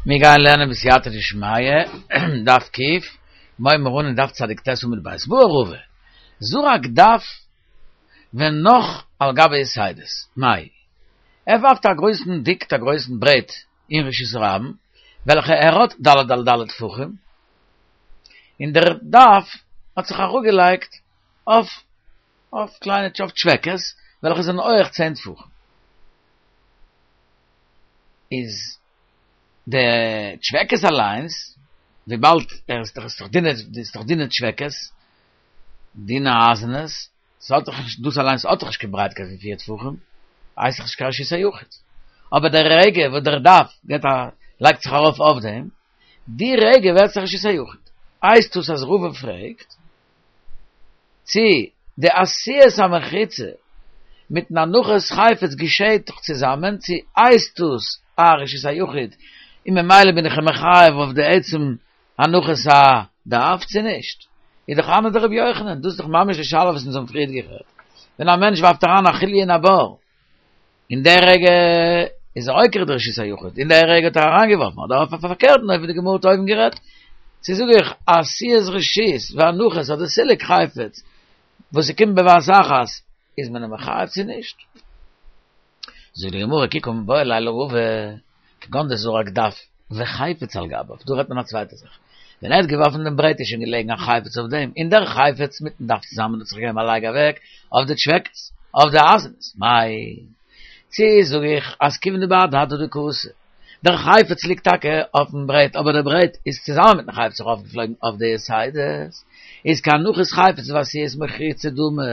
מיר גייען לערנען בסייעתא דשמיא, דף ק, מוה מרנן דף צדיק ט עמוד ב', בעי רבא, זרק דף ונח על גבי יתדות, מאי? ער ווארפט א גרויסן דיקט א גרויסן ברעט אין רשות הרבים, וועלכע ער האט ד' על ד' טפחים, און דער דף האט זיך אראפגעלייגט אויף אויף קליינע אויף טשוועקעס וועלכע זענען הויעך צען טפחים. איז די טשוועקעס אליינס, וויבאלד ער איז דאך איז דאך דינע איז דאך דינע טשוועקעס, דינע אייזענעס, ס'האט דאך נישט דאס אליינס האט דאך נישט קיין ברייטקייט פון פיר טפחים, הייסט דאך נישט קיין רשות היחיד. אבער די רגע וואס דער דף געט א לייגט זיך ארויף אויף דעם, די רגע ווערט עס א רשות היחיד. הייסט דאס אז רבא פרעגט צי די עשיית המחיצה מיטן הנחת חפץ געשעהט דאך צוזאמען, צי הייסט דאס א רשות היחיד און ממילא בין איך אים מחייב אויף די עצם הנחת הדף צו נישט? איז דאך הני דרבי יוחנן, דאס איז דאך ממש די שאלה וואס אונז האבן פריערט גערעדט, ווען א מענטש ווארפט אריין א חוליא אין א בור, אין דער רגע איז ער עוקר די רשות היחיד, אין דער רגע האט ער אריינגעווארפן, אדער אויף א פארקערטן אופן ווי די גמרא האט אויבן גערעדט, צו זאג איך עשיית רשות והנחת אדער סילוק חפץ וואס ס'קומט בבת אחת איז מען אים מחייב צו נישט? זאגט די גמרא כי קא מיבעיא ליה לרבא כגון דזרק דף וחפץ על גביו, דא רעדט מען א צווייטע זאך, ווען ער האט געווארפן דעם ברעט איז שוין געלעגן א חפץ אויף דעם, און דער חפץ מיטן דף צוזאמען האט זיך געגעבן א לייג אוועק אויף די טשוועקעס, אויף די אייזענעס, מאי? צי זאג איך אז כיוון דבהדי הדדי קאתי, דער חפץ ליגט טאקע אויפן ברעט אבער דער ברעט איז צוזאמען מיטן חפץ ארויפגעפלויגן אויף די יתדות, איז כהנחת חפץ ועשיית מחיצה דמי,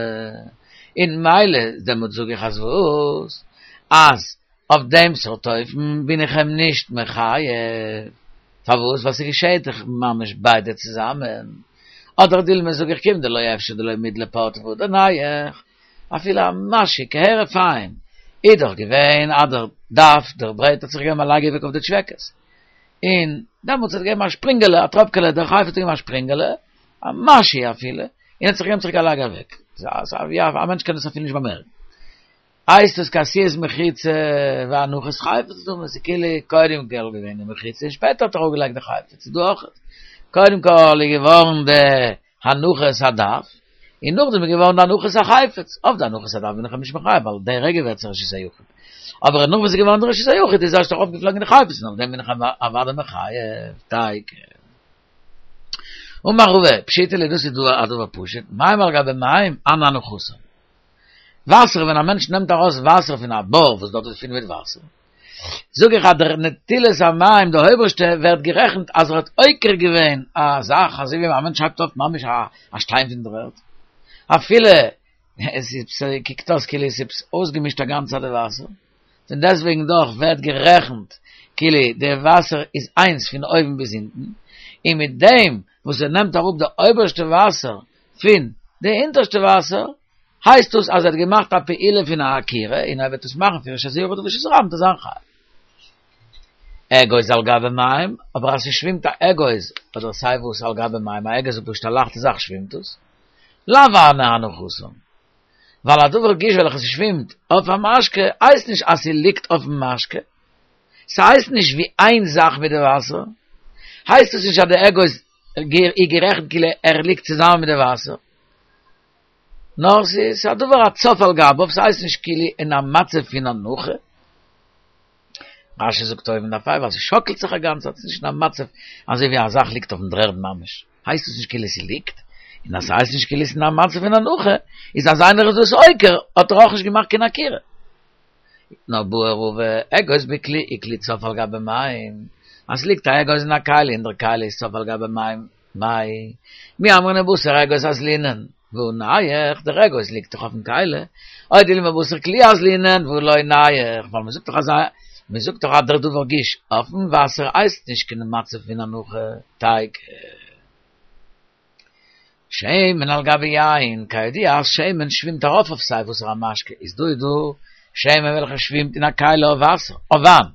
און ממילא דעמאלט זאג איך אז וואס? אז אויף דעם סארט אופן בין איך אים נישט מחייב. פארוואס? ווייל ס'געשעהט דאך ממש ביידע צוזאמען. אדער דילמא זאג איך כיון דלא אפשר דלא מידלי פורתא והדר נייח, אפילו א משהו כהרף עין, איז דאך געווען אז דער דף, דער ברעט האט זיך געגעבן א לייג אוועק אויף די טשוועקעס. און דעמאלטס האט געגעבן א שפרינגעלע, א טראפקעלע, דער חפץ האט געגעבן א שפרינגעלע, א משהו אפילו, און האט זיך געגעבן צוריק א לייג אוועק. א מענטש קען דאס אפילו נישט באמערקן. הייסט עס כעשיית מחיצה והנחת חפץ דמי, ס'איז כאילו קודם כל געווען די מחיצה און שפעטער האט ער אראפגעלייגט די חפץ, איז דא אויך קודם כל איז געווארן די הנחת הדף און נאכדעם איז געווארן די הנחת החפץ, אויף די הנחת הדף בין איך אים נישט מחייב ווייל די רגע ווערט עס רשות היחיד, אבער נאך וואס איז געווארן די רשות היחיד איז ערשט ארויפגעפלויגן די חפץ און אויף דעם בין איך אים אוודאי מחייב, תיקו. אמר רבא, פשיטא לי דאס איז דא א דבר פשוט, מים על גבי מים, הני הנחתן. וואסער ווען א מענטש נעמט ארויס וואסער פון א בור וואס דארט איז פול מיט וואסער, זאג איך אז דער נטילת המים די אויבערשטע ווערט גערעכנט אז ער האט עוקר געווען א זאך אזוי ווי א מענטש הייבט אויף ממש א שטיין פון דער ערד, אפילו עס איז קוקט אויס כאילו עס איז אויסגעמישט א גאנצע די וואסער, פון דעסטוועגן דאך ווערט גערעכנט כאילו די וואסער איז איינס פון אויבן ביז אונטן, און מיט דעם וואס ער נעמט אראפ די אויבערשטע וואסער פון די אונטערשטע וואסער, הייסט דאס אז ער האט געמאכט א פעולה פון א עקירה, און ער וועט עס מאכן פון רשות היחיד לרשות הרבים וועט ער זיין חייב. אגוז על גבי מים, אבער אז ס'שווימט א אגוז, אדער סיי וואס על גבי מים, א אגוז איז פשוט א לייכטע זאך שווימט עס, לאו הני הנחתן. ווייל א דבר גוש וועלכע ס'שווימט אויף א משקה הייסט נישט אז ס'ליגט אויפן משקה, ס'הייסט נישט ווי איין זאך מיט די וואסער, הייסט עס נישט אז די אגוז איז גערעכנט כאילו ער ליגט צוזאמען מיט די וואסער, נאר ס'איז א דבר הצף על גביו, ס'הייסט נישט כאילו אין א מצב פון הנחה. רש"י זאגט אויבן דף ה' ווייל ס'שאקלט זיך א גאנצע צייט, ס'איז נישט אין א מצב אזוי ווי א זאך ליגט אויפן דר'ערד ממש, הייסט עס נישט כאילו ס'ליגט, און אז ס'הייסט נישט כאילו ס'איז אין א מצב פון הנחה, איז אז איינער איז דאס עוקר האט ער אויך נישט געמאכט קיין עקירה. נאר בעי רבא, אגוז בכלי וכלי צף על גבי מים, אז ס'ליגט א אגוז אין א כלי און דער כלי איז צף על גבי מים, מאי, מי אמרינן בתר אגוז אזלינן, והא נייח, דער אגוז ליגט דאך אויפן כלי, או דילמא בתר כלי אזלינן, והא לא נייח, ווייל מ'זאגט דאך אז מ'זאגט דאך אז דער דבר גוש אויפן וואסער הייסט נישט קיין מצב פון הנחה, תיקו. שמן על גבי יין, כידוע אז שמן שווימט ארויף אויף סיי וואסערע משקה, איז דא איז דא שמן וועלכע שווימט אין א כלי אויף וואסער, אויף וויין,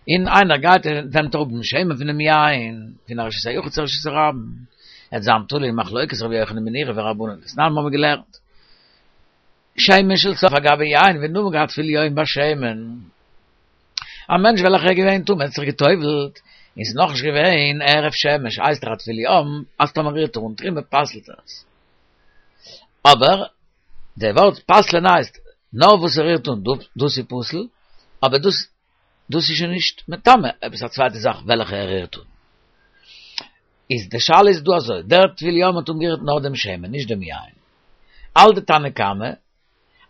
און איינער גייט און נעמט אראפ דעם שמן פונעם יין, פון א רשות היחיד צו א רשות הרבים, עט זיין תלוי אין מחלוקת רבי יוחנן בן נורי ורבנן, דתנן האבן מיר געלערנט, שמן של צף על גבי יין ונמק עד טבול יום בשמן. א מענטש וועלכער איז געווען טמא האט זיך גע'טובל'ט, און ס'איז נאכנישט געווען הערב שמש, הייסט ער א טבול יום, אז טאמער רירט ער אן תרומה פסל'ט ער עס. אבער די ווארט פסל'ען הייסט נאר וואס ער רירט אן דאס איז פסול, אבער דאס דאס איז שוין נישט מטמא עפעס א צווייטע זאך וועלכע ער רירט אן. איז די שאלה איז דא אזוי, דער טבול יום האט אנגערירט נאר דעם שמן נישט דעם יין. האלט די תנא קמא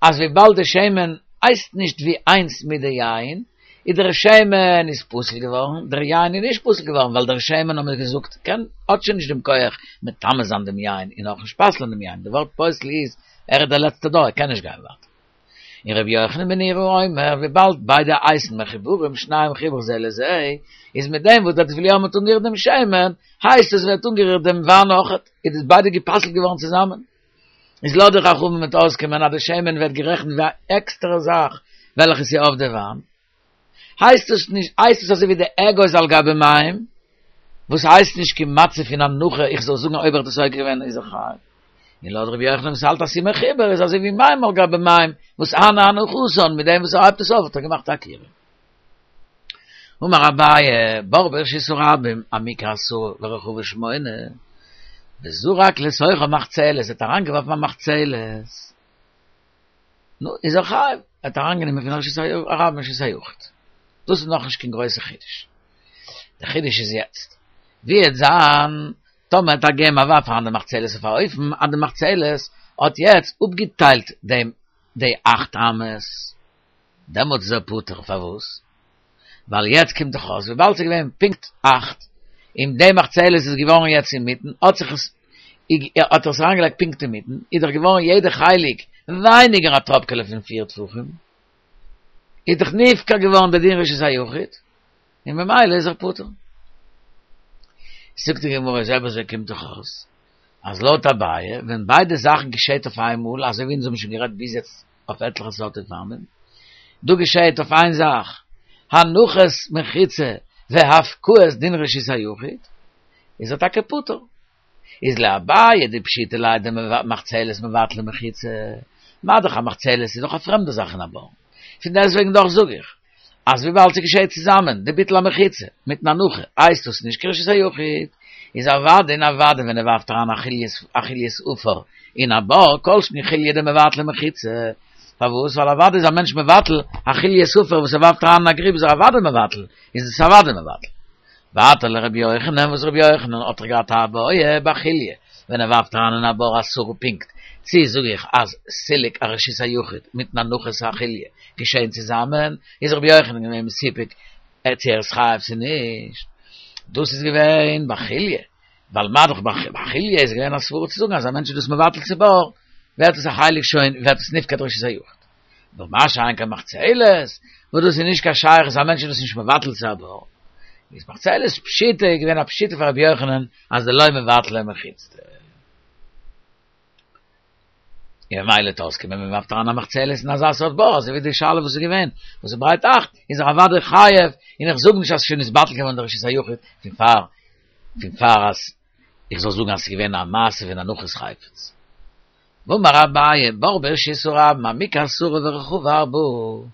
אז וויבאלד די שמן הייסט נישט ווי איינס מיט די יין, איז דער שמן איז פסול געווארן, דער יין איז נישט פסול געווארן, ווייל דער שמן האבן מיר געזאגט קען האט שוין נישט דעם כח מטמא זיין דעם יין און אויך נישט פסל'ען דעם יין, די ווארט פוסל איז ער איז דער לעצטער דור ער קען נישט גיין ווייטער. און רבי יוחנן בן נורי אומר וויבאלד ביידע הייסן מחוברים שניהם מחובר זה לזה, איז מיט דעם וואס דער טבול יום האט אנגערירט דעם שמן, הייסט עס ווערט אנגערירט דעם וויין אויכעט, איז דאס ביידע גע'פסל'ט געווארן צוזאמען. איז לויט די חכמים וועט אויסקומען אז די שמן ווערט גערעכנט ווי א עקסטערע זאך וועלכע איז אויף די וויין, הייסט עס נישט הייסט עס אזוי ווי די אגוז על גבי מים, וואס הייסט נישט קיין מצב פון הנחה איך זאל זאגן אויב ער האט עס עוקר געווען איז ער חייב. און לויט רבי יוחנן וואס האלט אז ס'איז מחובר איז אזוי ווי מים על גבי מים וואס הני הנחתן מיט דעם וואס ער הייבט עס אויף האט ער געמאכט א עקירה. אמר אביי, בור ברשות הרבים, עמוקה עשרה ורחבה שמונה, וזרק לתוכה מחצלת, ער האט אריינגעווארפן א מחצלת, נו, איז ער חייב, ער האט אריינגענומען פון רשות הרבים רשות היחיד. דאס איז נאכנישט קיין גרויסע חידוש. דער חידוש איז יעצט, ווי וועט זיין טאמער האט ער געגעבן א ווארף אריין די מחצלת אויף א אופן אז די מחצלת האט יעצט אפגעטיילט דעם די אכט אמות, דעמאלטס איז ער פטור, פארוואס? ווייל יעצט קומט דאך אויס וויבאלד ס'איז געווען פונקט אכט, און די מחצלת איז געווארן יעצט אינמיטן, האט זיך עס, האט ער עס אריינגעלייגט פונקט אינמיטן, איז דאך געווארן יעדע חלק ווייניגער א טראפקעלע פון פיר טפחים, איז דאך נפקע געווארן די דין רשות היחיד, און ממילא איז ער פטור. זאגט די גמרא, אויב אזוי קומט דאך אויס אז לויט אביי, ווען ביידע זאכן געשעט אויף איינמאל, אזוי ווי אונז האבן שוין גערעדט ביז יעצט אויף עטליכע סארט אופנים, דא געשעט אויף איין זאך, הנחת מחיצה והפקעת דין רשות היחיד, איז ער טאקע פטור. איז לאביי דפשיטא ליה דמחצלת מבטלא מחיצה, מה דאך א מחצלת איז דאך א פרעמדע זאך אין א בור, פון דעסטוועגן דאך זאג איך אז וויבאלד ס'געשעט צוזאמען די ביטול המחיצה מיטן הנחה הייסט דאס נישט קיין רשות היחיד, איז אוודאי און אוודאי ווען ער ווארפט אריין א חוליית עפר אין א בור כל שכן חוליא דמבטלא מחיצה, פארוואס? ווייל אוודאי איז א מענטש מבטל א חוליית עפר וואס ער ווארפט אריין אין א גריב איז ער אוודאי מבטל, איז עס אוודאי מבטל. ווייטער לרבי יוחנן וואס רבי יוחנן האט דאך געהאט א בעיא בחוליא ווען ער ווארפט אריין אין א בור עשרה פונקט, צי זאג איך אז סילוק הרשות היחיד מיטן הנחת החוליא געשען צוזאמען, איז רבי יוחנן געווען מסופק צו ער איז חייב צו נישט, דאס איז געווען בחוליא, ווייל מה דאך בחוליא איז געווען א סברא צו זאגן אז א מענטש איז דאס מבטל צו בור, ווערט עס א חלק שוין ווערט עס נפקע די רשות היחיד. נאר מה שאין כן מחצלת, וואס דאס איז נישט קיין שייכות, א מענטש איז דאס נישט מבטל צו א בור. איז מחצלת פשיטא איז געווען א פשיטא פאר רבי יוחנן אז דלא מבטלא מחיצתא. און ממילא וועט אויסקומען מען ווארפט אריין א מחצלת אין אזא סארט בור, אזוי ווי די שאלה וואס איז געווען, וואס איז ברייט אכט, איז ער אוודאי חייב, און איך זאג נישט אז ס'איז שוין נתבטל געווארן די רשות היחיד פון פאר פון פאר אז איך זאל זאגן אז ס'איז געווען א מעשה פון הנחת חפץ. ואמר אביי, בור ברשות הרבים, עמוקה עשרה ורחבה ארבעה.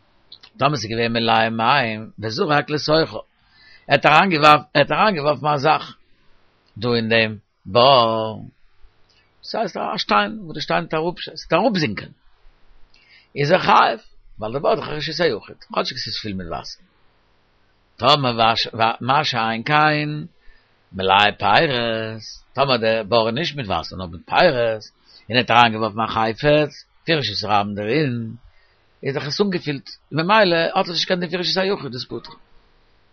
טאמער ס'איז געווען מלא מים, וזרק לתוכה. ער האט אריינגעווארפן, ער האט אריינגעווארפן א זאך דא אין דעם בור. ס'הייסט א שטיין, וואס די שטיין וועט אראפ, ס'וועט אראפזינקען. איז ער חייב, ווייל דער בור איז דאך א רשות היחיד, כאטשיג ס'איז פול מיט וואסער. טאמער מה שאין כן מלא פירות, טאמער די בור איז נישט מיט וואסער נאר מיט פירות, און ער האט אריינגעווארפן א חפץ פון רשות הרבים דערין, איז דאך עס אנגעפילט, ממילא האט עס נישט קיין דין פון רשות היחיד, איז פטור.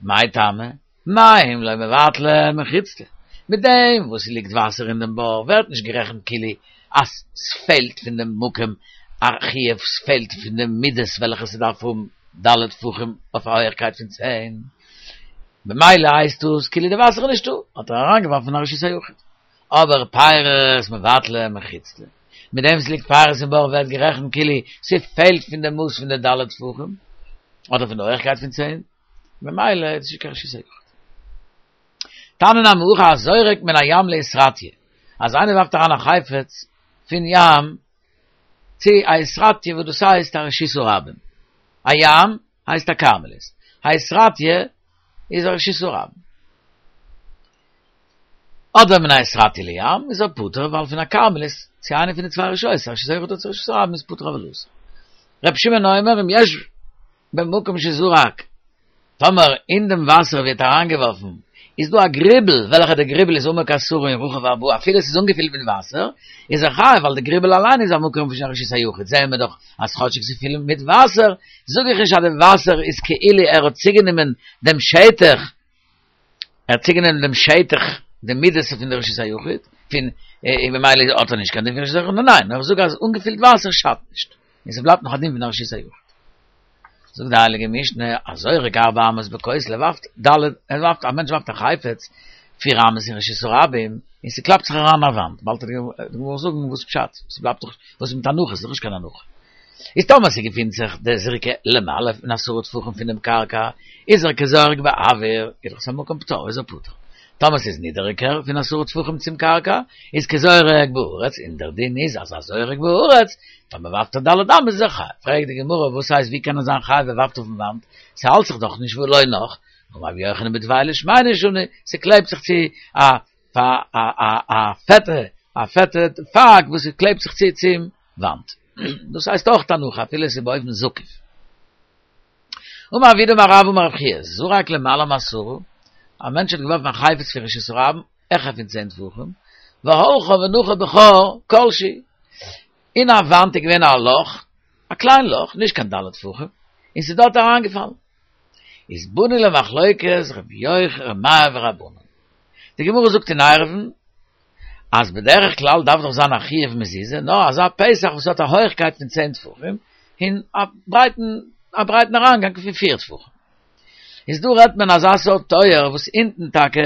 מאי טעמא? מים לא מבטלי מחיצתא, מיט דעם וואס ס'ליגט וואסער אין דעם בור ווערט נישט גערעכנט כאילו אז ס'פעלט פון דעם מקום א חיוב, ס'פעלט פון די מידות וועלכע ס'דארף האבן ד' טפחים אויף א הויעכקייט פון צען, ממילא הייסט דאס כאילו די וואסער איז נישטא, האט ער אריינגעווארפן אין א רשות היחיד. אבער פירות מבטלי מחיצתא, מיט דעם ס'ליגט פירות אין בור ווערט גערעכנט כאילו ס'פעלט פון די מאס פון די ד' טפחים, אדער פון די הויעכקייט פון צען, ממילא איז נישט קיין רשות היחיד. תניא נמי הכי הזורק מן הים לאיסרטיא, אז איינער ווארפט אריין א חפץ פון ים צו א איסרטיא וואס דאס הייסט א רשות הרבים. א ים הייסט א כרמלית. האיתרטיא איז א רשות הרבים. אדער מן האיתרטיא לים איז ער פטור ווייל פון א כרמלית צו איינע פון די צוויי רשויות, רשות היחיד אדער רשות הרבים איז פטור אבל אסור. ר' שמעון אומר אם יש במקום שזרק, טאמער אין דעם וואסער ווי ער האט אריינגעווארפן איז דא א גריבל וועלכע די גריבל איז עמוק עשרה און רחב ארבעה אפילו עס איז אנגעפילט מיט וואסער איז ער חייב ווייל די גריבל אליין איז א מקום פון רשות היחיד זעען מיר דאך אז כאטשיג ס'איז פיל מיט וואסער זאג איך נישט אז די וואסער איז כאילו ער האט צוגענומען דעם שטח ער האט צוגענומען דעם שטח די מידות פון די רשות היחיד פון און ממילא האט ער נישט קיין דין פון רשות היחיד ניין נאר איך זאג אז אנגעפילט וואסער שאדט נישט און ס'בלייבט נאך א דין פון א רשות היחיד. זאגט די הייליגע משנה, הזורק ארבע אמות בכותל, ער ווארפט ד', ער ווארפט, א מענטש ווארפט א חפץ פיר אמות אין רשות הרבים, און ס'קלאפט זיך אריין אין א וואנט, באלד וועט די גמרא זאגן וואס פשט, ס'בלייבט דאך, וואס איז מיט הנחה, ס'איז דאך נישט קיין הנחה. איז טאמער ס'געפינט זיך די זריקה למעלה פון עשרה טפחים פונעם קרקע, איז ער כזורק באוויר, איז דאך עס א מקום פטור, איז ער פטור. טאמער ס'איז נידעריגער פון עשרה טפחים צום קרקע, איז כזורק בארץ, און דער דין איז אז הזורק בארץ, טאמער ווארפט ער ד' אמות איז ער חייב. פרעגט די גמרא וואס הייסט ווי קען ער זיין חייב ער ווארפט אויפן וואנט, ס'האלט זיך דאך נישט והא לא נח, אמר רבי יוחנן בדבילה שמנה שנו, ס'קלעבט זיך צו א א פעטע א פעטע פאג וואס ס'קלעבט זיך צו צום וואנט. דאס הייסט אויך הנחה אפילו עס איז באופן זקיף. אמר רב יהודה אמר רב אמר רב חייא, זרק למעלה מעשרה, א מענטש האט געווארפן א חפץ פון רשות הרבים, העכער פון צען טפחים, והלכה ונחה בחור כל שהוא, אין א וואנט איז געווען א לאך, א קליין לאך, נישט קיין ד' טפחים, און ס'איז דארט אריינגעפאלן. איז באנו למחלוקת רבי יוחנן רבי מאיר ורבנן. די גמרא זאגט אין עירובין, אז בדרך כלל דארף דאך זיין א חיוב מזוזה, נאר אזא פתח וואס האט א הויכקייט פון צען טפחים, און א ברייטן א ברייטן אריינגאנג פון פיר טפחים. איז דא רעדט מען אזא סארט טויער וואס אונטן טאקע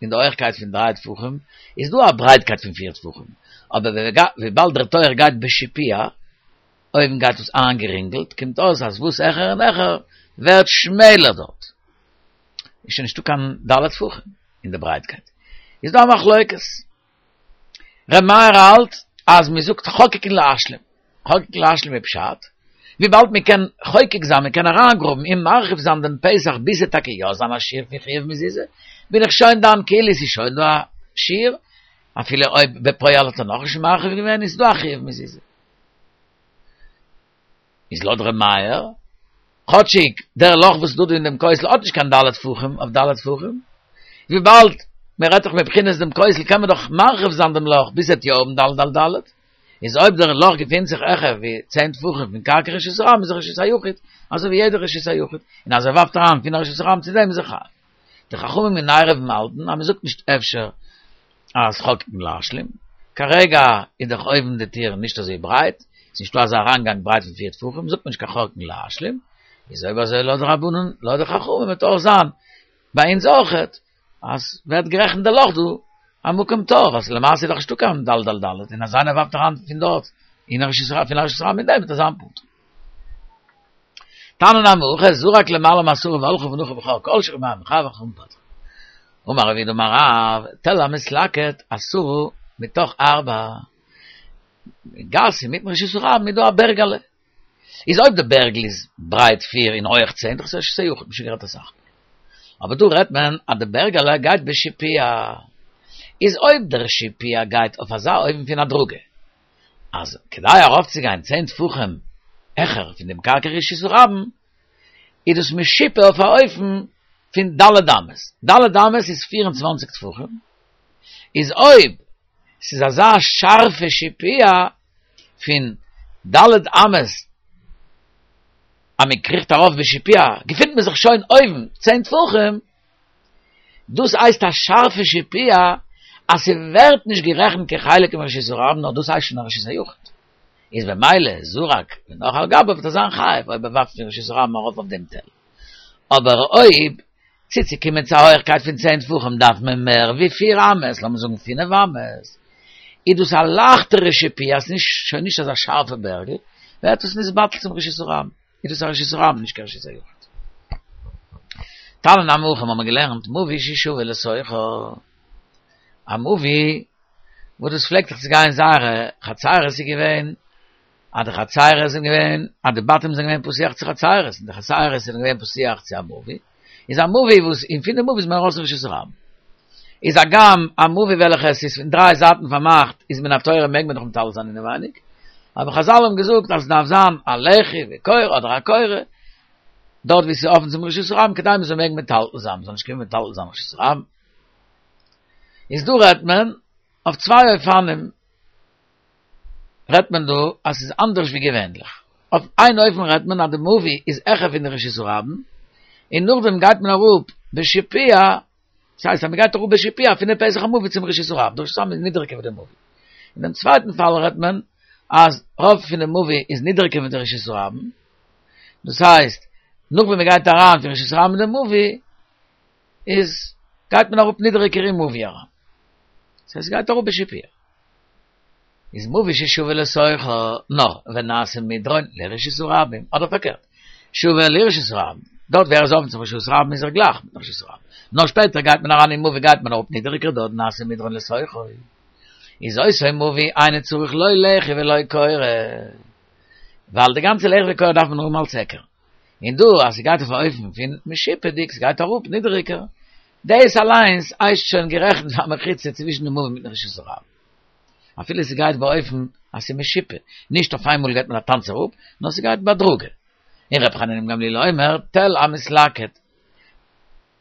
אין די הויכקייט פון דריי טפחים איז דא א ברייטקייט פון פיר טפחים, אבער וויבאלד דער טויער גייט בשיפוע, אויבן גייט עס איינגערינגלט, קומט אויס אז וואס העכער און העכער ווערט שמעלער דארט. איז שוין נישטא קיין ד' טפחים אין די ברייטקייט. איז דא א מחלוקת. ר' מאיר האלט אז מען זאגט חוקקין להשלים. חוקקין להשלים איז פשט, וויבאלד מען קען חוקק זיין, מען קען אריינגראבן און מרחיב זיין דעם פתח ביז ס'וועט טאקע יא זיין א שיעור פון חיוב מזוזה, בין איך שוין דן כאילו ס'איז שוין דא א שיעור, אפילו אויב בפועל האט ער נאכנישט מרחיב געווען איז דא א חיוב מזוזה. איז לויט ר' מאיר, כאטשיג דער לאך וואס איז דא דא אין דעם כותל האט נישט קיין ד' טפחים אויף ד' טפחים, וויבאלד מען רעדט דאך מבחינת דעם כותל קען מען דאך מרחיב זיין דעם לאך ביז ס'עט יא האבן ד' על ד', איז אויב דער לאך געפינט זיך העכער ווי צען טפחים פון קרקע רשות הרבים איז ער רשות היחיד, אזוי ווי יעדער רשות היחיד, און אז ער ווארפט אריין פון רשות הרבים צו דעם איז ער חייב. די חכמים אין עירובין האלטן אז מען זאגט נישט אפשר אז חוקקין להשלים, כרגע איז דאך אויבן די טיר נישט אזוי ברייט, ס'איז נישטא אזא אריינגאנג ברייט פון פיר טפחים, זאגט מען נישט קיין חוקקין להשלים, איז אויב אזוי לויט די רבנן, לויט די חכמים וועט אויך זיין ביי אונז אויכעט, אז ווערט גערעכנט די לאך דא א מקום פטור, ווייל למעשה איז דאך נישטא קיין ד' על ד', און אז איינער ווארפט אריין פון דארט אין רשות הרבים פון רשות הרבים אין דעם וועט ער זיין פטור. תניא נמי הכי זרק למעלה מעשרה והלכה ונחה בחור כל שהוא ר' מאיר מחייב וחכמים פוטרין. אמר רב יהודה אמר רב, תל המתלקט עשרה מתוך ארבע. גאס אינמיטן רשות הרבים איז דא א בערגעלע. איז אויב די בערגל איז ברייט פיר און הויעך צען, דאך איז רשות היחיד, מ'האט שוין גערעדט אסאך מאל. אבער דא רעדט מען אז די בערגעלע גייט בשיפוע. איז אויב דער שיפוע גייט אויף אזא אופן פון הדרגה, אז כדי ארויפצוגיין צען טפחים העכער פון דעם קרקע רשות הרבים, איז דאס משופע אויף א אופן פון ד' אמות, ד' אמות איז פיר און צוואנציג טפחים, איז אויב ס'איז אזא שארפע שיפוע פון ד' אמות אז מען קריכט ארויף בשיפוע געפינט מען זיך שוין אויבן צען טפחים, דאס הייסט א שארפע שיפוע אז ס'ווערט נישט גערעכנט כחלק מרשות הרבים נאר דאס הייסט שוין א רשות היחיד. איז במילא זרק ונח על גביו וועט ער זיין חייב אויב ער ווארפט פון רשות הרבים ארויף אויף דעם תל. אבער אויב צוצוקומען צו א הויכקייט פון צען טפחים דארף מען מער ווי פיר אמות, לאמיר זאגן פינף אמות, איז דאס א לייכטערע שיפוע, ס'איז שוין נישט אזא שארפע בערגל, ווערט עס נתבטל צום רשות הרבים. איז דאס א רשות הרבים נישט קיין רשות היחיד. תניא נמי הכי האבן מיר געלערנט מבוי ששבה לתוכו, א מבוי וואס דאס פלעגט זיך צו גיין זייערע חצרות איז געווען. אז די חצירות זענען געווען, אז די בתים זענען געווען פתוח צו חצירות, און די חצירות זענען געווען פתוח צו א מבוי, איז א מבוי וואס אין פון די מבוי איז מען ארויס אין רשות הרבים. איז הגם א מבוי וועלכע עס איז פון דריי זייטן פארמאכט איז מן התורה מעג מען דאך מטלטל זיין אינעווייניג, אבער חזל האבן געזאגט אז עס דארף זיין א לחי וקורה אדער א קורה דארט ווי עס איז אפן צום רשות הרבים כדי מען זאל מעגן מטלטל זיין, מען זאל נישט קומען מטלטל זיין רשות הרבים. איז דא רעדט מען אויף צוויי אופנים רעדט מען דא אז ס'איז אנדערש ווי געווענליך. אויף איין אופן רעדט מען אז די מבוי איז העכער פון די רשות הרבים, און נאכדעם גייט מען אראפ בשיפוע, דאס הייסט אז מ'גייט אראפ בשיפוע פון די פתח המבוי צום רשות הרבים, די רשות הרבים איז נידעריגער ווי די מבוי. אין דעם צווייטן פאל רעדט מען אז רוב פון די מבוי איז נידעריגער ווי די רשות הרבים, דאס הייסט נאך ווען מ'גייט אריין פון רשות הרבים אין די מבוי, איז גייט מען אראפ נידעריגער אין מבוי אריין. דאס הייסט ס'גייט אראפ בשיפוע. איז מבוי ששווה לתוכו נאר ונעשה מדרון לרשות הרבים, אדער פארקערט, שווה לרשות הרבים, דארט ווי ער איז אפן צום רשות הרבים איז ער גלייך מיטן רשות הרבים, נאר שפעטער גייט מען אריין אין מבוי גייט מען אראפ נידעריגער דארט נעשה מדרון לתוכו, איז אותו מבוי אינו צריך לא לחי ולא קורה, ווייל די גאנצע לחי וקורה דארף מען האבן אלס היכר. און דא אז ס'גייט אויף א אופן פון משופע'דיג, ס'גייט אראפ נידעריגער, דאס אליינס הייסט שוין גערעכנט פאר א מחיצה צווישן די מבוי מיטן רשות הרבים. אפילו ס'גייט באופן אז ס'איז משופע, נישט אויף איינמאל גייט מען א טאנץ אראפ, נאר ס'גייט בהדרגה. און ר' חנינא בן גמליאל אומר, תל המתלקט.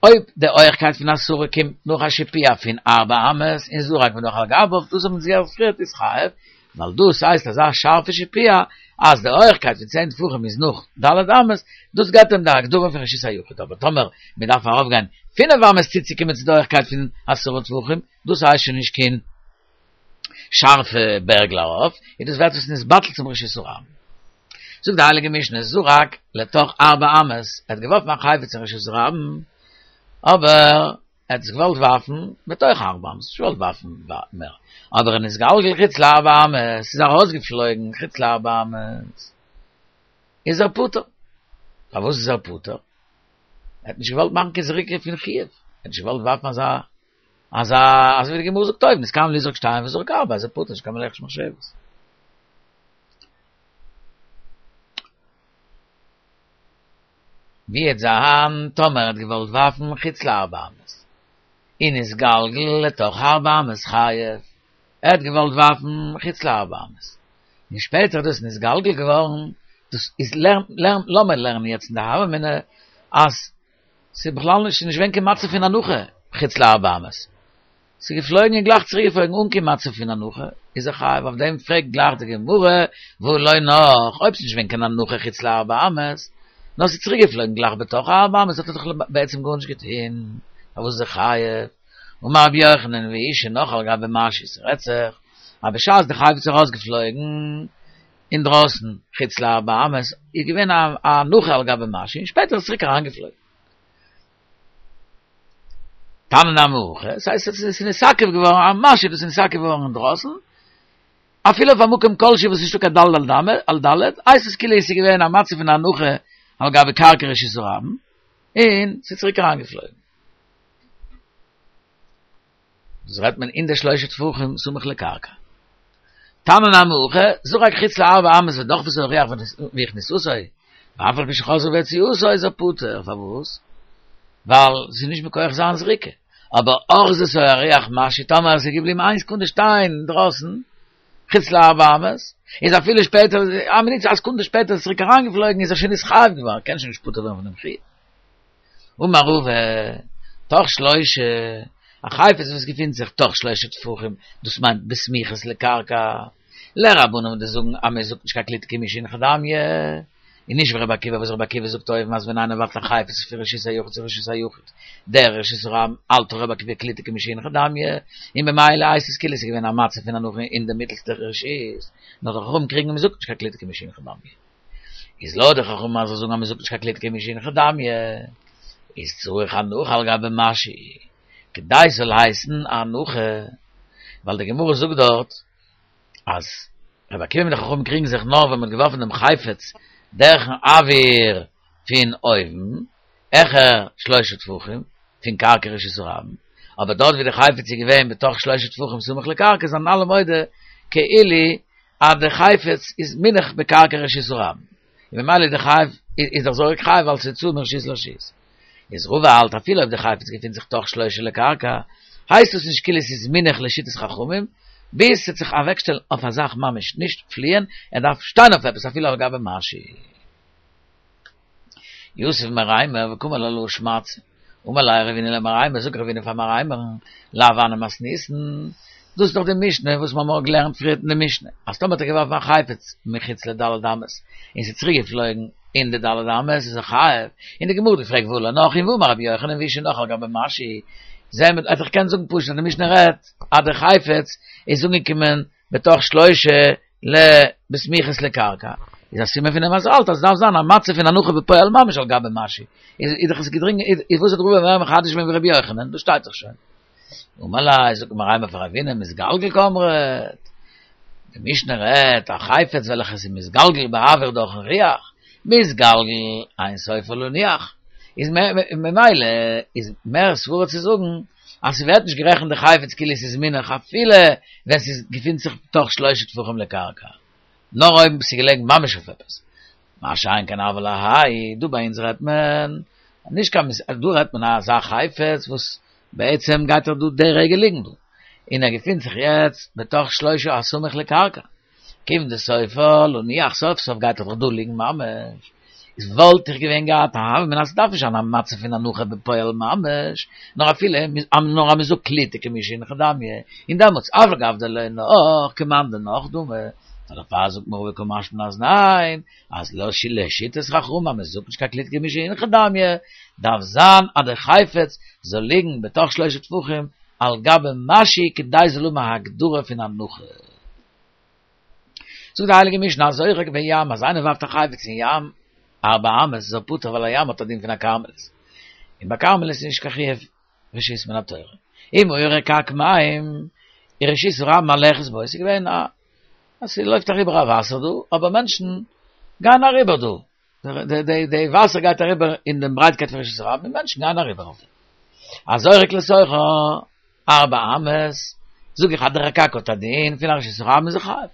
אויב די הויכקייט פון עשרה קומט נאך א שיפוע פון ארבע אמות און זרק ונח על גביו, דאס האבן זיי פריערט איז חייב, ווייל דאס הייסט אזא שארפע שיפוע אז די הויכקייט פון צען טפחים איז נאך ד' אמות, דאס געבט אים די הגדרה פון רשות היחיד, אבער טאמער מען דארף ארויפגיין פינף אמות צוצוקומען צו די הויכקייט פון עשרה טפחים, דאס הייסט שוין נישט קיין שארפע בערגל ארויף, און דאס ווערט עס נתבטל צום רשות הרבים. זאגט די הייליגע משנה, זרק לתוך ארבע אמות, ער האט געווארפן א חפץ אין רשות הרבים, אבער ער האט עס געוואלט ווארפן בתוך ארבע אמות, נישט געוואלט ווארפן מער, אבער נתגלגל חוץ לארבע אמות, ס'איז ארויסגעפלויגן חוץ לארבע אמות, איז ער פטור. פארוואס איז ער פטור? ער האט נישט געוואלט מאכן קיין זריקה פון חיוב, ער האט נישט געוואלט ווארפן אזא אזא אזוי ווי די גמרא זאגט אויבן, נתכוון לזרוק שתיים וזרק ארבע, איז ער פטור, נישט קיין מלאכת מחשבת. ווי וועט זיין טאמער ער האט געוואלט ווארפן חוץ לארבע אמות, און נתגלגל לתוך ארבע אמות חייב, ער האט געוואלט ווארפן חוץ לארבע אמות, און שפעטער איז דאס נתגלגל געווארן, דאס איז לערן לערן לאמיר לערנען יעצט אין די הוה אמינא אז ס'איז בכלל נישט, ס'איז נישט געווען קיין מצב פון הנחה חוץ לארבע אמות. ס'איז געפלויגן און גלייך צוריק געפלויגן אן קיין מצב פון הנחה, איז ער חייב, אויף דעם פרעגט גלייך די גמרא, והא לא נח, אויב ס'איז נישט געווען קיין הנחה חוץ לארבע אמות, נאר ס'איז צוריק געפלויגן גלייך בתוך ארבע אמות האט ער דאך בעצם גארנישט געטון, פארוואס איז ער חייב? אמר רבי יוחנן והוא שנח על גבי משהו, ס'רעדט זיך אז בשעת די חפץ איז ארויסגעפלויגן, אינדרויסן, חוץ לארבע אמות, איז געווען א הנחה על גבי משהו, און שפעטער איז צוריק אריינגעפלויגן. תנא נמי הכי, עס הייסט עס איז נתעכב געווארן א משהו וואס איז נתעכב געווארן אינדרויסן, אפילו אויף א מקום כלשהו וואס איז נישטא קיין ד' על ד', הייסט עס כאילו עס איז געווען א מצב פון הנחה על גבי קרקע רשות הרבים, און ס'איז צוריק אריינגעפלויגן. דאס רעדט מען אין די שלושה טפחים סמוך לקרקע. תנא נמי הכי, זרק חוץ לארבע אמות ודחפתו הרוח והכניסתו, ואף על פי שחזרה והוציאתו איז ער פטור, פארוואס? ווייל ס'איז נישט מכח זיין זריקה. אבער אחזתו הרוח משהו, טאמער עס איז געבליבן איין סעקונדע שטיין אינדרויסן, חוץ לארבע אמות, איז אפילו שפעטער, א מינוט א סעקונדע שפעטער איז צוריק אריינגעפלויגן איז ער שוין נתחייב געווארן, קען שוין נישט פטור ווערן פון דעם חיוב. אמר רבא, תוך שלושה, א חפץ וואס געפינט זיך תוך שלושה טפחים, דאס מיינט בסמיכות לקרקע, לרבנן וואס זאגן אז מען זאגט נישט קיין קליטה כמי שהנחה דמיא, און נישט ווי רבי עקיבא וואס רבי עקיבא זאגט אויבן אז ווען איינער ווארפט א חפץ פון רשות היחיד צו רשות היחיד, דרך רשות הרבים, האלט רבי עקיבא קליטה כמי שהנחה דמיא, און במילא הייסט עס כאילו עס איז געווען א מצב פון הנחה אין די מיטלסטע רשות, נאר די חכמים קריגן מען זאגט נישט קיין קליטה כמי שהנחה דמיא. איז לויט די חכמים אז זיי זאגן אז מען זאגט נישט קיין קליטה כמי שהנחה דמיא, איז צריך הנחה על גבי משהו, כדי ס'זאל הייסן א הנחה, ווייל די גמרא זאגט דארט אז רבי עקיבא מיט די חכמים קריגן זיך נאר ווען מ'האט געווארפן דעם חפץ דורכן אוויר פון אויבן, העכער שלושה טפחים פון קרקע רשות הרבים, אבער דארט ווי די חפץ איז געווען בתוך שלושה טפחים סמוך לקרקע זענען אלע מודה כאילו. אז די חפץ איז מונח בקרקע רשות הרבים, און ממילא איז די חייב, איז דער זורק חייב ווייל ס'איז הוצאה מרשות לרשות. איז רבא האלט אפילו אויב די חפץ געפינט זיך תוך שלושה לקרקע, הייסט עס נישט כאילו ס'איז מונח לשיטת חכמים, ביז ס'וועט זיך אוועקשטעלן אויף א זאך ממש, נישט פליען, ער דארף שטיין אויף עפעס אפילו על גבי משהו. יתיב מרימר וקאמר לה להא שמעתתא. אמר ליה רבינא למרימר, זאגט רבינא פאר מרימר'ן, לאו הני מתניתין, דאס איז דאך די משנה וואס מיר האבן געלערנט פריערט אין די משנה, אז טאמער האט ער געווארפן א חפץ מחוץ לד' אמות און ס'איז צוריק געפלויגן אין די ד' אמות איז ער חייב, און די גמרא האט געפרעגט והא לא נח און והאמר רבי יוחנן והוא שנח על גבי משהו, זעהן מיר, איך קען זאגן פשוט אז די משנה רעדט אז די חפץ איז אנגעקומען בתוך שלושה ל בסמיכות לקרקע, איז א סימן פון דעם אז ער האלט אז עס דארף זיין א מצב פון הנחה בפועל ממש על גבי משהו, איז איז דאך עס געדרינגען איז וואס האט רבא מער מחדש געווען ווי רבי יוחנן, דאס שטייט דאך שוין. אמר ליה, זאגט מרימר פאר רבינא, מתגלגל קאמרת, די משנה רעדט א חפץ וועלכעס איז מתגלגל באוויר דורכן רוח, מתגלגל אין סופו להניח, איז ממילא איז מער סברה צו זאגן אז ס'ווערט נישט גערעכנט די חפץ כאילו ס'איז מונח אפילו ווען ס'איז געפינט זיך תוך שלושה טפחים לקרקע, נאר אויב ס'איז געלעגן ממש אויף עפעס. מה שאין כן אבל האי, דא ביי אונז רעדט מען נישט קיין מ, דא רעדט מען אזא חפץ וואס בעצם גייט ער דא די רגע ליגן דא, און ער געפינט זיך יעצט בתוך שלושה הסמוך לקרקע, כיון דסופו להניח סוף סוף גייט ער דאך דא ליגן ממש, איז וואלט איך געווען געהאט א הוה אמינא אז ס'דארף נישט זיין א מצב פון הנחה בפועל ממש, נאר אפילו נאר אז מ'זאגט קליטה כמי שהונחה דמיא, און דעמאלטס אף על גב דלא נח כמאן דנח דמי, דערפאר זאגט מיר רבא קא משמע לן אז ניין, אז לשיטת חכמים אז מ'זאגט נישט קיין קליטה כמי שהונחה דמיא, דארף זיין אז די חפץ זאל ליגן בתוך שלושה טפחים על גבי משהו כדי זאל האבן א הגדרה פון הנחה. זאגט די הייליגע משנה הזורק בים אז איינער ווארפט א חפץ אין ים ארבע אמות איז ער פטור ווייל א ים האט א דין פון א כרמלית און ביי כרמלית איז נישט קיין חיוב רשות מן התורה אם היה רקק מים ורשות הרבים מהלכת בו עס איז געווען א אז ס'לויפט אריבער א וואסער דא אבער מענטשן גייען אריבער דא די די די וואסער גייט אריבער אין דעם ברייטקייט פון רשות הרבים און מענטשן גייען אריבער אויף דעם הזורק לתוכה ארבע אמות, זאג איך אז דער רקק האט א דין פון א רשות הרבים איז ער חייב.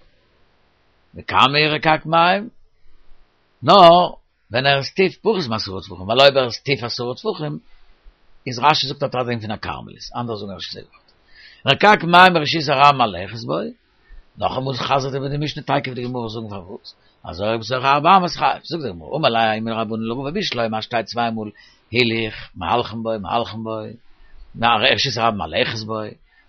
וכמה הוא רקק מים? נאר ווען ער איז טיף פחות מעשרה טפחים, ווייל אויב ער איז טיף עשרה טפחים, איז רש"י זאגט האט ער א דין פון א כרמלית, אנדערע זאגן רש"י זאגט. רקק מים ורשות הרבים מהלכת בו, נאכאמאל חזר'ט איבער די משנה תיכף די גמרא זאגן פארוואס, הזורק בתוכה ארבע אמות חייב, זאגט די גמרא, אמר ליה ההוא מן הרבנן לרבא בשלמא אז שטייט צוויי מאל הילוך, מהלכים בו, מהלכים בו, ורשות הרבים מהלכת בו,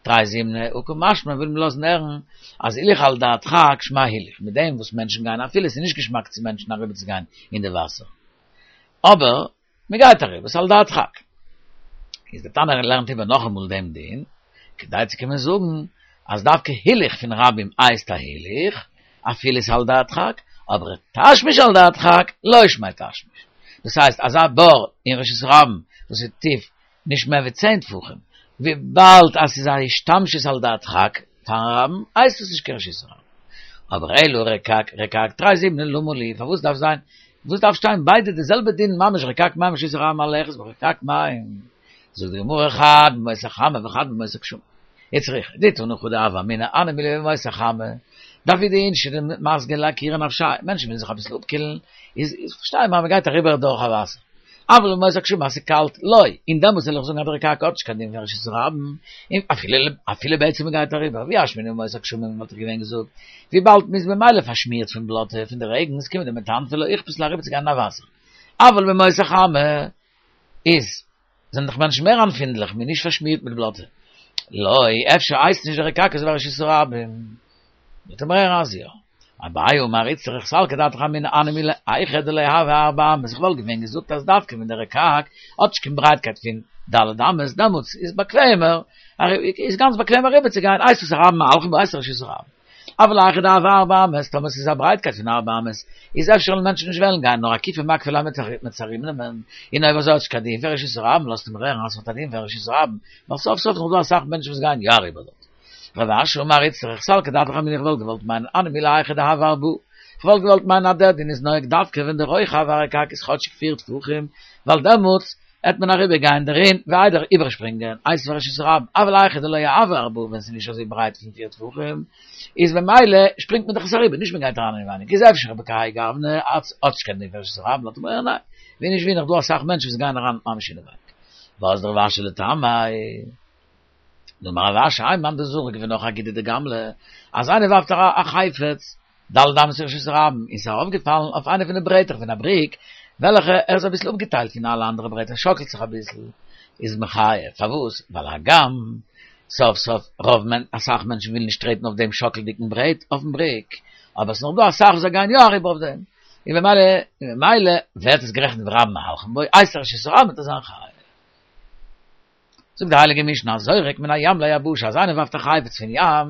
תרי זימני, הא קא משמע וויל מען לאזן הערן אז הילוך על דרך הדחק שמיה הילוך, מיט דעם וואס מענטשן גייען אפילו עס איז נישט געשמאק צו מענטשן אריבער צו גיין אין די וואסער, אבער מען גייט אריבער, ס'איז על דרך הדחק. איז דער תנא לערנט איבער נאכאמאל דעם דין, כדי צו קומען זאגן אז דווקא הילוך פון רבים הייסט א הילוך, אפילו ס'איז על דרך הדחק, אבער תשמיש על דרך הדחק לא שמיה תשמיש. דאס הייסט אזא בור אין רשות הרבים וואס איז טיף נישט מער ווי צען טפחים, וויבאלד אז ס'איז א השתמשות על דרך הדחק פארן רבים, הייסט עס נישט קיין רשות הרבים. אבער אלא רקק, רקק, תרי זימני למה לי, פארוואס דארף זיין, וואס דארף שטיין ביידע די זעלבע דין ממש רקק מים ורשות הרבים מהלכת בו רקק מים, זאגט די גמרא חד בימות החמה וחד בימות הגשמים. איצטריכא, דאי תנא חדא הוה אמינא הני מילי בימות החמה, דעבידי אינשי דמסגי לאקורי נפשייהו, מענטשן ווילן זיך אביסל אפקילן, איז פארשטיי מיר אז מען גייט אריבער דורך א וואסער. אבל בימות הגשמים אז ס'איז קאלט, לא, און דעמאלטס וועל איך זאגן אז דער רקק האט נישט קיין דין פון רשות הרבים, און אפילו אפילו בעצם מ'גייט אריבער, ואי אשמעינן בימות הגשמים וואלט איך געווען געזאגט, וויבאלד מ'איז ממילא פארשמירט פון בלאטע פון די רעגנס כיון דמטנפי לא איכפת להו אריבער צו גיין אין א וואסער. אבל בימות החמה איז זענען דאך מענטשן מער עמפינדליך, מ'איז נישט פארשמירט מיט בלאטע. לא, אפשר הייסט נישט דער רקק אזוי ווי א רשות הרבים. מיט דעם ר' אז יא. אביי אמר איצטריך סלקא דעתך אמינא הני מילי היכא דלא הוי ארבע אמות, איך וואלט געווען געזאגט אז דווקא ווען דער רקק האט נישט קיין ברייטקייט פון ד' אמות דעמאלטס איז באקוועמער, איז גאנץ באקוועם אריבער צו גיין, הייסט עס רבים מהלכים בו הייסט עס רשות הרבים. אבל היכא דהוי ארבע אמות, טאמער ס'איז א ברייטקייט פון ארבע אמות, איז אפשר וועלן מענטשן נישט וועלן גיין, נאר אקופי מקפי ליה מ'עט עס ארומנעמען, און אויב אזוי האט נישט קיין דין פון רשות הרבים, לאזט מען הערן אז ס'האט א דין פון רשות הרבים, ווייל סוף סוף איז נאך דא אסאך מענטשן וואס גייען יא אריבער דארט. רב אשי אמר איצטריך סלקא דעתך אמינא איך וואלט געוואלט מיינען הני מילי היכא דהוי ארבעה, איך וואלט געוואלט מיינען אז דער דין איז נוהג דווקא ווען די רוחב הרקק איז כאטשיג פיר טפחים, ווייל דעמאלטס. העט מען אריבער גיין דערין ווי איידער איבערשפרינגען איתיביה רשות הרבים, אבל היכא דלא הוה ארבעה ווען ס'איז נישט אזוי ברייט פון פיר טפחים איז ממילא שפרינגט מען דאך עס אריבער נישט מען גייט אריין אינעווייניג איז אפשר בכהאי גוונא האט נישט קיין דין פון רשות הרבים לאזט מען ניין ווי נישט ווי נאך דא אסאך מענטשן וואס גייען אריין ממש אינעווייניג ואזדא רב אשי לטעמיה. דאמר רב אשי האי מאן דזריק ווי נאך א גודא דגמלא אז איינער ווארפט א חפץ ד' אמות לרשות הרבים און ס'איז ארויפגעפאלן אויף איינע פון די ברעטער פון א בריק וועלכע ער איז אביסל אפגעטיילט פון אלע אנדערע ברעטער שאקלט זיך אביסל איז מחייב פארוואס ווייל הגם סוף סוף רוב מענ אסאך מענטשן ווילן נישט טרעטן אויף דעם שאקלדיגן ברעט אויפן בריק אבער ס'נאך דא אסאך וואס זיי גייען יא אריבער אויף דעם און במילא און במילא ווערט עס גערעכנט ווי רבים מהלכים בו אייתי רשות הרבים וועט ער זיין חייב. זאגט די הייליגע משנה הזורק מן הים ליבשה אז איינער ווארפט א חפץ פון ים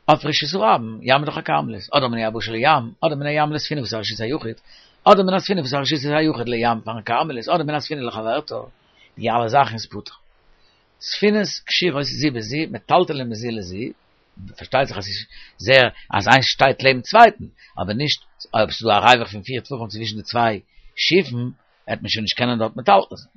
אויף רשות הרבים, ים איז דאך א כרמלית, אדער מן היבשה לים, אדער מן הים לספינה וואס איז א רשות היחיד, אדער מן הספינה וואס איז א רשות היחיד לים פארן כרמלית, אדער מן הספינה לחברתה, די אלע זאכן איז פטור. ספינות קשירות זו בזו, מטלטלין מזו לזו, פארשטייט זיך אז ס'איז זייער אז איינס שטייט לעבן צווייטן, אבער נישט אויב ס'איז דא א ריווח פון פיר טפחים צווישן די צוויי שיפן, וועט מען שוין נישט קענען דארט מטלטל זיין.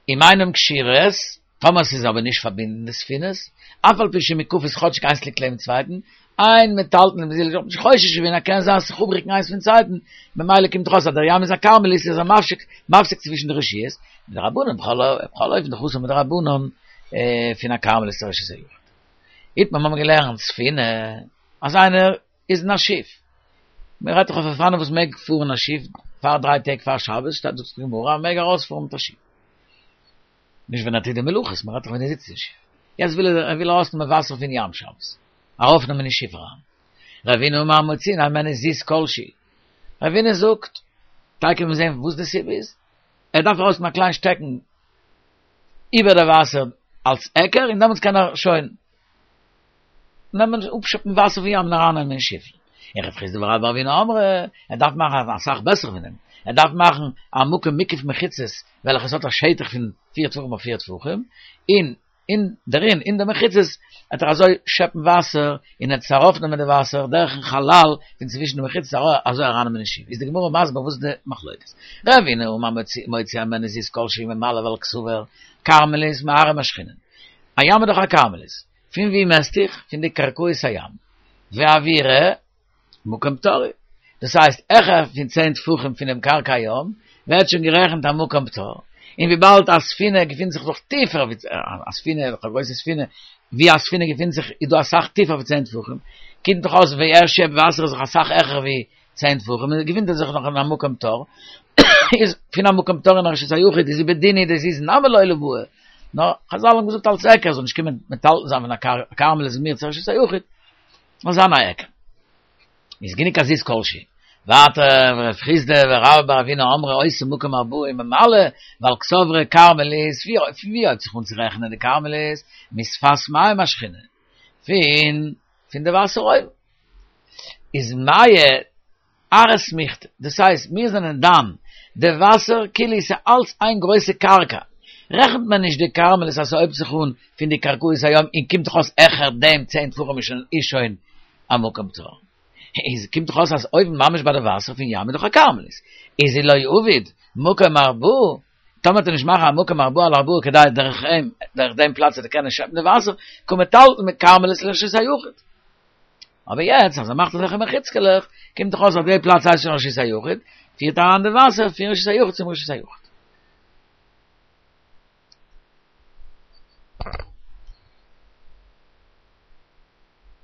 אם אינן קשירות, טאמער ס'איז אבער נישט פארבינדן די ספינות, אף על פי שמוקפות כאטשיג איינס ליגט לעבן צווייטן, אין מטלטלין מזו לזו, נישט חושש געווען אז קען זיין זיך אפריקן איינס פון צווייטן, ממילא קומט דאך אויס אז דער ים איז א כרמלית איז ער מפסיק מפסיק צווישן די רשויות, מדרבנן בכל אופן דאך אסור מדרבנן פון א כרמלית צו רשות היחיד. איתמר מיר האבן געלערנט ספינה אז איינער איז אין א שיף. מען רעדט דאך אויף אופנים וואס מעג פארן א שיף פאר דריי טעג פאר שבת, שטייט זאגט די גמרא אז מען מעג ארויספארן מיט א שיף. נישט ווען ער טוט די מלאכות, מען רעדט דאך ווען ער זיצט אין שיף. יעצט וויל ער, ער וויל ארויסנעמען וואסער פון ים שבת. ארויפנעמען אין שיף אריין. רבינא אמר מוציאין הימנו זיז כל שהוא. רבינא זאגט, טאקע מיר זעהן וואס די סיבה איז. ער דארף ארויסנעמען א קליין שטעקן איבער די וואסער אלס היכר און דעמאלטס קען ער שוין נעמען אפשעפן וואסער פון ים און ארייננעמען אין שיפל. און רב חסדא ורבה בר אבינא אמרי, ער דארף מאכן אסאך בעסער פון דעם, ער דארף מאכן א מקום מוקף מחיצות וועלכע עס האט א שטח פון פיר טפחים אויף פיר טפחים, און אין דערין אין די מחיצות וועט ער אזוי שעפן וואסער און ער וועט ארויפנעמען די וואסער דורכן חלל פון צווישן די מחיצות אזוי ארייננעמען אין שיף. איז די גמרא מסביר וואס איז די מחלוקת. רבינא אמר מוציא הימנו זיז כל שהוא ממלא ווייל קסבר כרמלית מארעא משכינן. א ים איז דאך א כרמלית. פון ווי מעסט איך? פון די קרקעית הים. ואוירא מקום פטור. דאס הייסט העכער פון צען טפחים פונעם קרקע הים ווערט שוין גערעכנט א מקום פטור. און וויבאלד א ספינה געפינט זיך דאך טיפער ווי א ספינה, א גרויסע ספינה, ווי א ספינה געפינט זיך איז דא אסאך טיפער ווי צען טפחים, קומט דאך אויס ווי ער שעפט וואסער איז דאך אסאך העכער ווי צען טפחים, און געפינט ער זיך נאך אין א מקום פטור, איז פון א מקום פטור אין א רשות היחיד איז ובדין הוא דזיז נמי לא ליבעי, נאר חזל האבן געזאגט אלס היכר זאל נישט קומען מטלטל זיין פון א כרמלית מיר צו רשות היחיד, זאל זיין א היכר. איז גענוג א זיז כלשהי. ווייטער ורב חסדא ורבה בר אבינא אמרי עושה מקום ארבעה וממלא, ווייל קסברי כרמלית, פון ווי הויבט זיך אן צו רעכענען די כרמלית? משפת מים משכינן, פון פון די וואסער אויבן. איז מיא ארעא סמיכתא, דאס הייסט מיר זענען דן די וואסער כאילו עס איז אלץ איין גרויסע קרקע, רעכנט מען נישט די כרמלית אז ס'הויבט זיך אן פון די קרקעית הים און קומט דאך אויס העכער דעם צען טפחים איז שוין א מקום פטור, איז קומט דאך אויס אז אויבן ממש ביי די וואסער פון ים איז דאך א כרמלית, איז אי לא עביד מקום ארבעה טאמער וועט ער נישט מאכן א מקום ארבעה על ארבעה כדי דורך אים, דורך דעם פלאץ וועט ער קענען שעפן די וואסער, קא מטלטל מכרמלית לרשות היחיד. אבער יעצט אז ער מאכט אזעלכע מחיצה'לעך, קומט דאך אויס אז די פלאץ הייסט שוין רשות היחיד, פירט אריין די וואסער פון רשות היחיד צום רשות היחיד.